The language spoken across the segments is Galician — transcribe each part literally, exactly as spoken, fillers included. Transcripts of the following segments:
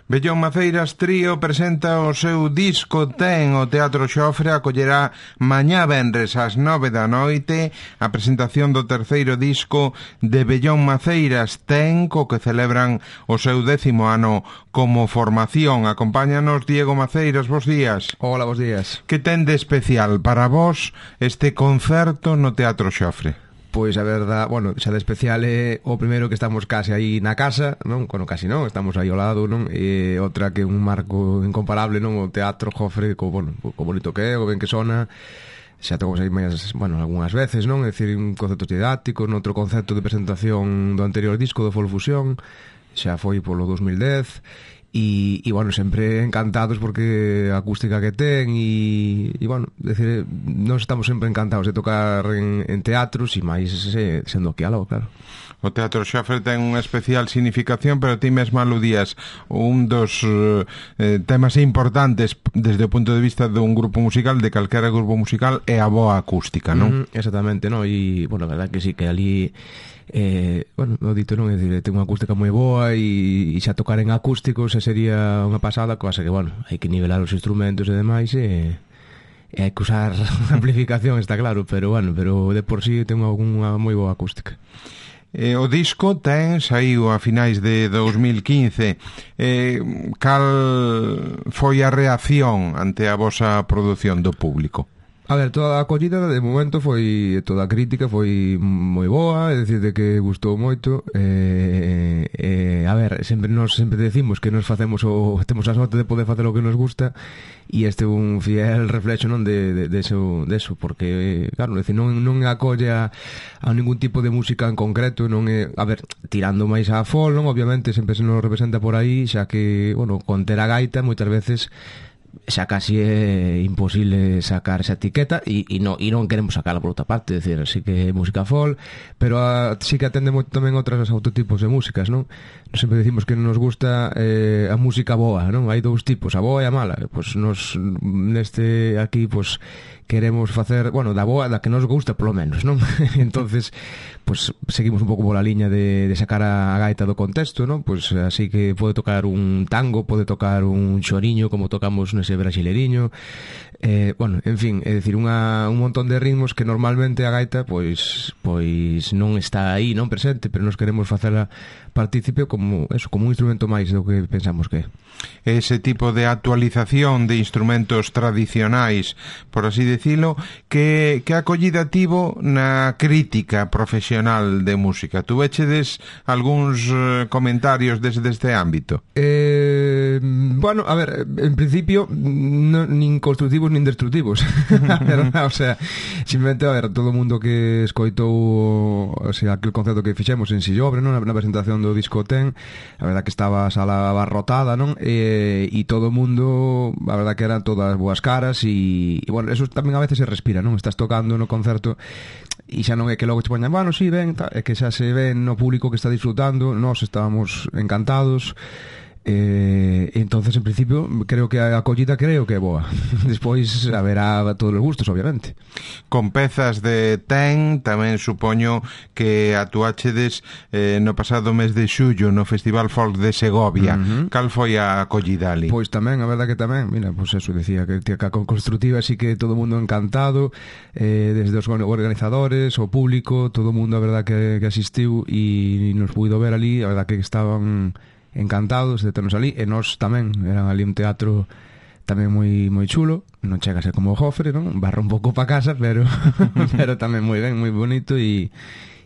Bellón Maceiras Trío presenta o seu disco Ten. O Teatro Xofre acollerá mañá venres ás nove da noite a presentación do terceiro disco de Bellón Maceiras Ten, co que celebran o seu décimo ano como formación. Acompáñanos Diego Maceiras, bos días. Hola, bos días. Que ten de especial para vos este concerto no Teatro Xofre? Pois a verdad, bueno, xa de especial é o primeiro que estamos case aí na casa, non? Bueno, casi non, estamos aí ao lado, non? E outra que un marco incomparable, non? O Teatro Xofre, co, bueno, co bonito que é, o ben que sona. Xa tocamos aí máis, bueno, algunhas veces, non? É dicir, un concepto didáctico, noutro concepto de presentación do anterior disco do Folfusión, xa foi polo dos mil dez. E, e bueno, sempre encantados porque a acústica que ten e, e bueno, decir, nós estamos sempre encantados de tocar en, en teatros e máis se, sendo aquí algo, claro. O Teatro Xofre ten unha especial significación, pero ti mesmo aludías un dos eh, temas importantes desde o punto de vista dun grupo musical, de calquera grupo musical, é a boa acústica, non? Mm, exactamente, non? E, bueno, a verdad que sí, que ali eh, bueno, o dito non, é dicir, ten unha acústica moi boa e, e xa tocar en acústicos xa sería unha pasada, cosa que, bueno, hai que nivelar os instrumentos e demais e, e hai que usar amplificación, está claro, pero, bueno, pero de por sí ten unha moi boa acústica. Eh, o disco ten, saiu a finais de dos mil quince. Eh, cal foi a reacción ante a vosa produción do público? A ver, toda a acollida de momento foi, toda a crítica foi moi boa, é dicir, de que gustou moito. Eh, eh, a ver, sempre nos sempre decimos que nos facemos o temos a sorte de poder facer o que nos gusta e este é un fiel reflexo, non, de, de, de, eso, de eso, porque, claro, decir, non, non acolle a, a ningún tipo de música en concreto, non é, a ver, tirando máis a folk, non, obviamente sempre se nos representa por aí, xa que, bueno, con ter a gaita moitas veces xa casi é imposible sacar esa etiqueta e, e, no, e non queremos sacarla por outra parte, é dicir, sí que é música folk, pero a, sí que atende moito tamén outras autotipos de músicas, non? Nos sempre decimos que nos gusta eh, a música boa, non? Hai dous tipos, a boa e a mala. Pois nos neste aquí pois queremos facer, bueno, da boa, da que nos gusta polo menos, non? Entonces, pois seguimos un pouco pola liña de, de sacar a gaita do contexto, non? Pois así que pode tocar un tango, pode tocar un choriño como tocamos nese brasileiriño. Eh, bueno, en fin, é dicir, unha, un montón de ritmos que normalmente a gaita pois pois non está aí, non presente, pero nos queremos facela partícipe como eso, como un instrumento máis do que pensamos que é. Ese tipo de actualización de instrumentos tradicionais, por así decirlo, que, que acollida tivo na crítica profesional de música. Tu vechedes algúns eh, comentarios desde este ámbito? Eh, bueno, a ver, en principio no, nin constructivos nin destructivos. A verdad, o sea, simplemente, a ver, todo o mundo que escoitou, o sea, aquel concerto que fixemos en Sillobre, non, na, na presentación do disco Ten, a verdad que estaba a sala abarrotada, non? E, e todo o mundo, a verdad que eran todas boas caras e, e bueno, eso tamén a veces se respira, non? Estás tocando no concerto e xa non é que logo te poñan, bueno, si, sí, ven, tal, é que xa se ven no público que está disfrutando, nós estábamos encantados. Eh, entonces en principio creo que a acollida creo que é boa. Despois haberá todos os gustos, obviamente. Con pezas de Ten tamén supoño que actuachedes eh, no pasado mes de xullo no Festival Folk de Segovia. Uh-huh. Cal foi a acollida ali? Pois tamén, a verdad que tamén, mira, pois eso decía que a con constructiva así que todo o mundo encantado, eh, desde os organizadores, o público, todo o mundo a verdad que, que asistiu e nos puido ver ali, a verdad que estaban encantados de ternos ali, e nós tamén, eran ali un teatro tamén moi moi chulo, non chega a ser como o Xofre, non? Barra un pouco pa casa, pero pero tamén moi ben, moi bonito e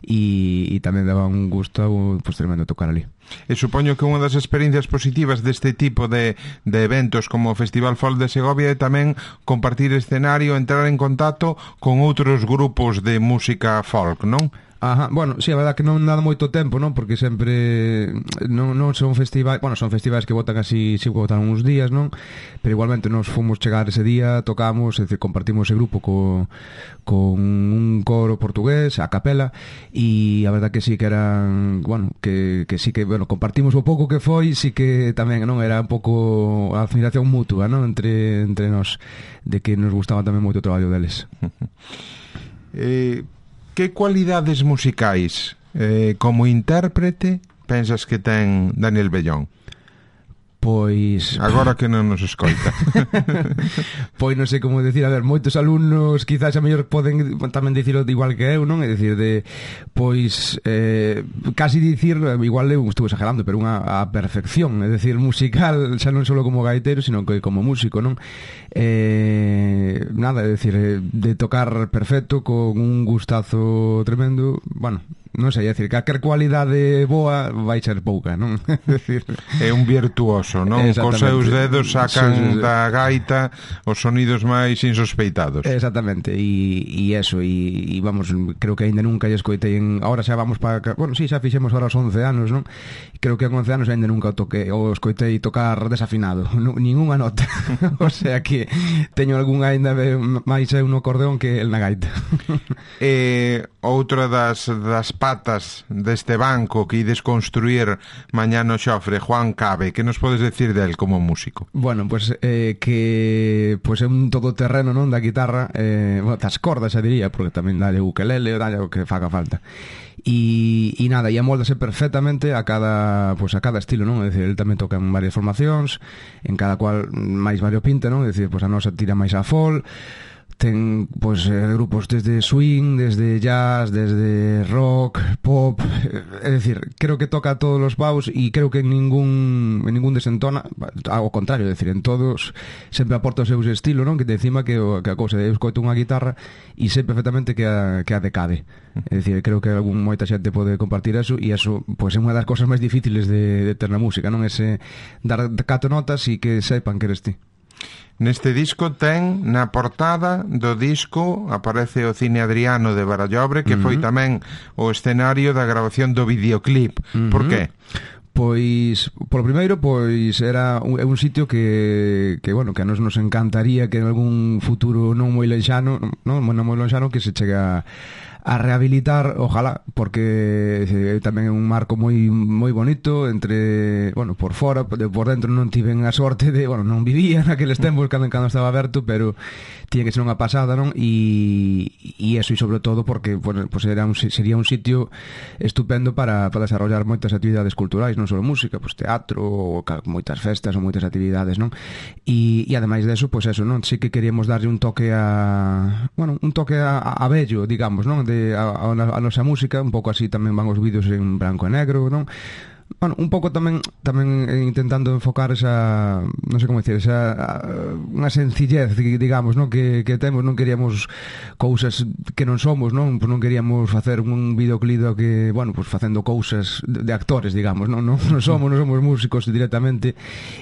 e, e tamén daba un gusto pues, tremendo tocar ali. E supoño que unha das experiencias positivas deste tipo de, de eventos como o Festival Folk de Segovia é tamén compartir escenario, entrar en contacto con outros grupos de música folk, non? Ajá, bueno, sí, a verdad que non dá moito tempo, non? Porque sempre non, non son festivais, bueno, son festivais que votan así, si votan uns días, non? Pero igualmente nos fomos chegar ese día, tocamos, é dicir, compartimos ese grupo co, con un coro portugués, a capela, e a verdad que sí que eran, bueno, que, que sí que, bueno, compartimos o pouco que foi, sí que tamén, non? Era un pouco a admiración mutua, non? Entre, entre nós, de que nos gustaba tamén moito o traballo deles. Eh... Que cualidades musicais eh, como intérprete pensas que ten Daniel Bellón? Pois... Agora que non nos escoita. Pois non sei como decir, a ver, moitos alumnos quizás a mellor poden tamén dicirlo igual que eu, non? É dicir, de, pois, eh, casi dicir, igual eu estou exagerando, pero unha a perfección, é dicir, musical, xa non só como gaitero, sino que como músico, non? Eh, nada, é dicir, de tocar perfecto, con un gustazo tremendo, bueno... non sei, é dicir, calquer cualidade boa vai ser pouca, non? É un virtuoso, non? Cos seus dedos sacan sí, sí, sí. da gaita os sonidos máis insospeitados. Exactamente, e, e eso, e, e vamos, creo que ainda nunca lle escoitei en... Ahora xa vamos para... Bueno, sí, xa fixemos ahora os once anos, non? Creo que con once anos ainda nunca o toquei, o escoitei tocar desafinado, non, ninguna nota. O sea que teño algún ainda máis eu no acordeón que el na gaita. E outra das, das patas deste banco que ides construir mañá no Xofre, Juan Cabe, que nos podes decir del como músico? Bueno, pues eh, que pues é un todoterreno, non, da guitarra, eh, bueno, das cordas, xa diría, porque tamén dalle ukelele, dalle o que faga falta. E, e nada, e amoldase perfectamente a cada, pues a cada estilo, non? É dicir, ele tamén toca en varias formacións, en cada cual máis variopinta, non? É dicir, pues a nosa tira máis a folk, ten pois eh, grupos desde swing, desde jazz, desde rock, pop, é dicir, creo que toca a todos os paus e creo que en ningún en ningún desentona, ao contrario, é dicir, en todos sempre aporta o seu estilo, non? Que de encima que, o, que a cousa de eu escoito unha guitarra e sei perfectamente que a, que a decade. É dicir, creo que algún moita xente pode compartir eso e eso, pois é unha das cousas máis difíciles de, de ter na música, non? Ese dar cato notas e que sepan que eres ti. Neste disco ten, na portada do disco, aparece o Cine Adriano de Barallobre, que uh-huh. foi tamén o escenario da grabación do videoclip. Uh-huh. Por que? Pois, polo primeiro, pois era un, é un sitio que, que, bueno, que a nos nos encantaría que en algún futuro non moi lexano, non, non moi lexano, que se chega a rehabilitar, ojalá, porque é tamén é un marco moi moi bonito entre, bueno, por fora, por dentro non tiven a sorte de, bueno, non vivía naqueles tempos cando, cando estaba aberto, pero tiña que ser unha pasada, non? E, e eso, e sobre todo porque, bueno, pues era un, sería un sitio estupendo para, para desarrollar moitas actividades culturais, non só música, pues teatro, ou moitas festas ou moitas actividades, non? E, e ademais deso, pues eso, non? Sí que queríamos darlle un toque a, bueno, un toque a, a bello, digamos, non? De A, a, a nosa música, un pouco así tamén van os vídeos en branco e negro, non? Bueno, un pouco tamén tamén intentando enfocar esa, non sei como decir, esa unha sencillez, digamos, non, que, que temos, non queríamos cousas que non somos, non, pues non queríamos facer un videoclip que, bueno, pues facendo cousas de, de actores, digamos, non, non, non somos, non somos músicos directamente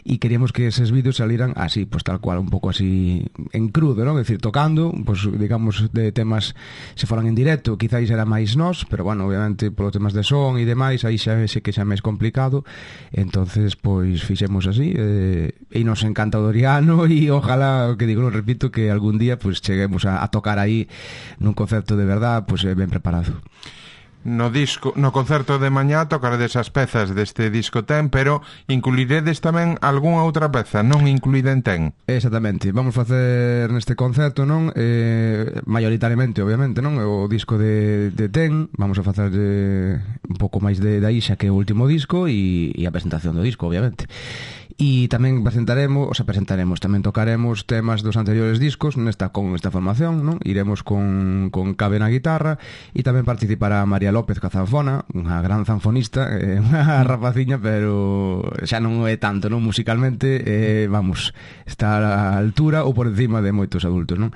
e queríamos que eses vídeos saliran así, pues tal cual, un pouco así en crudo, non, é dicir, tocando, pues digamos de temas se foran en directo, quizáis era máis nós, pero bueno, obviamente polos temas de son e demais, aí xa sei que xa máis complicado, entonces pois fixemos así, eh, e nos encanta o Doriano e ojalá, que digo, non repito, que algún día pois cheguemos a, a tocar aí nun concerto de verdad, pois eh, ben preparado. No disco, no concerto de mañá tocaredes as pezas deste disco ten, pero incluiredes tamén algunha outra peza non incluída en ten. Exactamente, vamos facer neste concerto, non? Eh, maioritariamente, obviamente, non? O disco de, de ten, vamos a facer eh, un pouco máis de, de aí xa que o último disco e, e a presentación do disco, obviamente. E tamén presentaremos, o sea, presentaremos, tamén tocaremos temas dos anteriores discos nesta con esta formación, non? Iremos con, con Cabe na guitarra e tamén participará María López ca zanfona, unha gran zanfonista, eh, unha rapaciña, pero xa non é tanto, non? Musicalmente, eh, vamos, está a altura ou por encima de moitos adultos, non?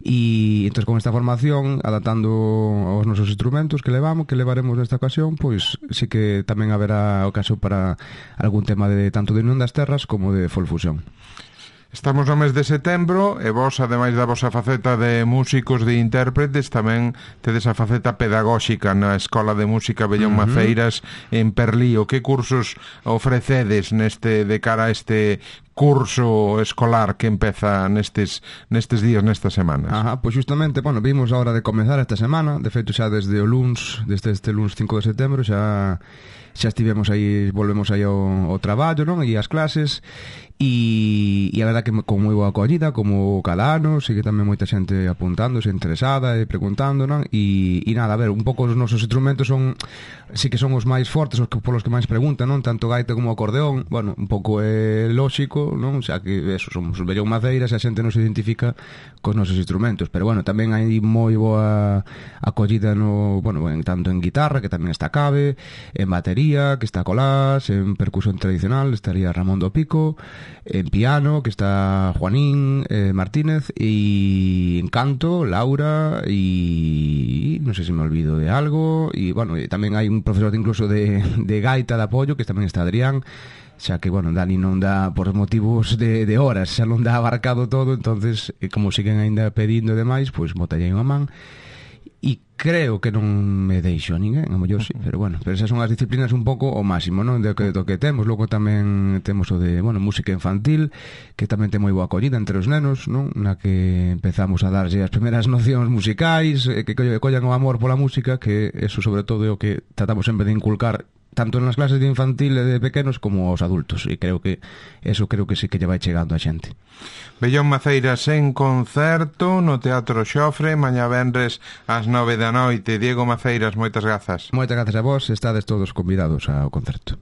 E entón con esta formación, adaptando aos nosos instrumentos que levamos, que levaremos nesta ocasión, pois sí que tamén haberá ocasión para algún tema de tanto de Unión das Terras como de Folfusión. Estamos no mes de setembro e vos, ademais da vosa faceta de músicos, de intérpretes, tamén tedes a faceta pedagóxica na Escola de Música Bellón uh-huh. Maceiras en Perlío. Que cursos ofrecedes neste de cara a este curso escolar que empeza nestes nestes días, nestas semanas. Ajá, pois justamente, bueno, vimos a hora de comezar esta semana, de feito xa desde o luns, desde este luns cinco de setembro, xa xa estivemos aí, volvemos aí ao, ao traballo, non? E as clases, e, e a verdad que con moi boa acollida, como cada ano, sigue tamén moita xente apuntándose, interesada e preguntando, non? E, e nada, a ver, un pouco os nosos instrumentos son, sí que son os máis fortes, os que, polos que máis preguntan, non? Tanto gaita como acordeón, bueno, un pouco é lóxico, non? Xa que eso, somos os Bellón Maceiras e a xente non se identifica cos nosos instrumentos, pero bueno, tamén hai moi boa acollida no, bueno, en, tanto en guitarra, que tamén está Cabe, en batería, que está Colás, en percusión tradicional estaría Ramón do Pico, en piano que está Juanín eh, Martínez, y en canto Laura, y no sé si me olvido de algo, y bueno, y tamén hai un profesor incluso de, de gaita de apoyo, que tamén está Adrián, xa que, bueno, Dani non dá por motivos de, de horas, xa non dá abarcado todo, entonces, como siguen ainda pedindo demais, pois botalle unha man. E creo que non me deixo a ninguén, a mellor sí, pero bueno, pero esas son as disciplinas un pouco o máximo, non? Do que, do que temos. Logo tamén temos o de, bueno, música infantil, que tamén ten moi boa acollida entre os nenos, non? Na que empezamos a darlle as primeiras nocións musicais, que collan o amor pola música, que eso sobre todo é o que tratamos sempre de inculcar tanto nas clases de infantil e de pequenos como aos adultos, e creo que eso creo que sí que lle vai chegando a xente. Bellón Maceiras en concerto no Teatro Xofre, mañá venres ás nove da noite. Diego Maceiras, moitas grazas. Moitas grazas a vos, estades todos convidados ao concerto.